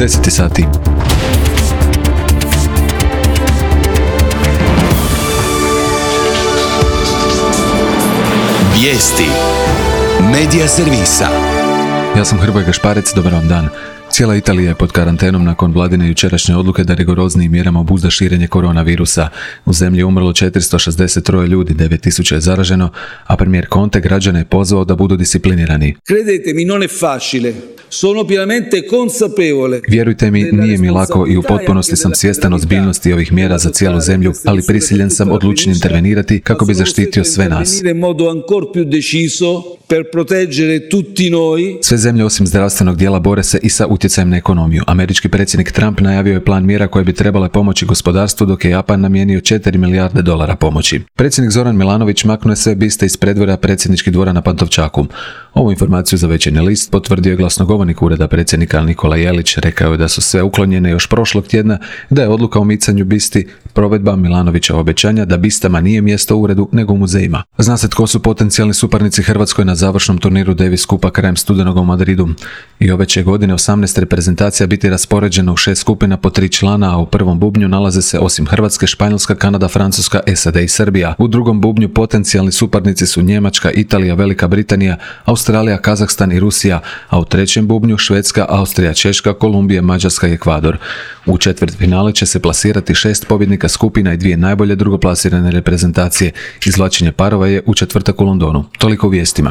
10 sati. Vijesti Medija servisa. Ja sam Hrvoje Gašparec, dobar vam dan. Cijela Italija je pod karantenom nakon vladine jučerašnje odluke da rigoroznijim mjerama obuzda širenje koronavirusa. U zemlji je umrlo 463 ljudi, 9000 je zaraženo, a premijer Conte građane je pozvao da budu disciplinirani. Credetemi, non è facile. Sono pienamente consapevole. Vjerujte mi, nije mi lako i u potpunosti sam svjestan ozbiljnosti ovih mjera za cijelu zemlju, ali prisiljen sam odlučiti intervenirati kako bi zaštitio sve nas. Sve zemlje osim zdravstvenog dijela bore se i sa utjecajem na ekonomiju. Američki predsjednik Trump najavio je plan mjera koje bi trebale pomoći gospodarstvu, dok je Japan namijenio $4 milijarde pomoći. Predsjednik Zoran Milanović maknuo je sve biste iz predvorja predsjedničkih dvora na Pantovčaku. Ovu informaciju za Večernji list potvrdio je glasnogovornik ureda predsjednika Nikola Jelić. Rekao je da su sve uklonjene još prošlog tjedna, da je odluka o micanju bisti provedba Milanovića obećanja da bistama nije mjesto u uredu nego u muzejima. Zna se tko su potencijalni suparnici Hrvatskoj na završnom turniru Davis Cupa krajem studenog u Madridu. I ove će godine 18 reprezentacija biti raspoređeno u 6 skupina po 3 člana, a u prvom bubnju nalaze se osim Hrvatske, Španjolska, Kanada, Francuska, SAD i Srbija. U drugom bubnju potencijalni suparnici su Njemačka, Italija, Velika Britanija, Australija, Kazahstan i Rusija, a u trećem bubnju Švedska, Austrija, Češka, Kolumbija, Mađarska i Ekvador. U četvrtfinale će se plasirati 6 pobjednika skupina i 2 najbolje drugoplasirane reprezentacije. Izvlačenje parova je u četvrtak u Londonu. Toliko u vijestima.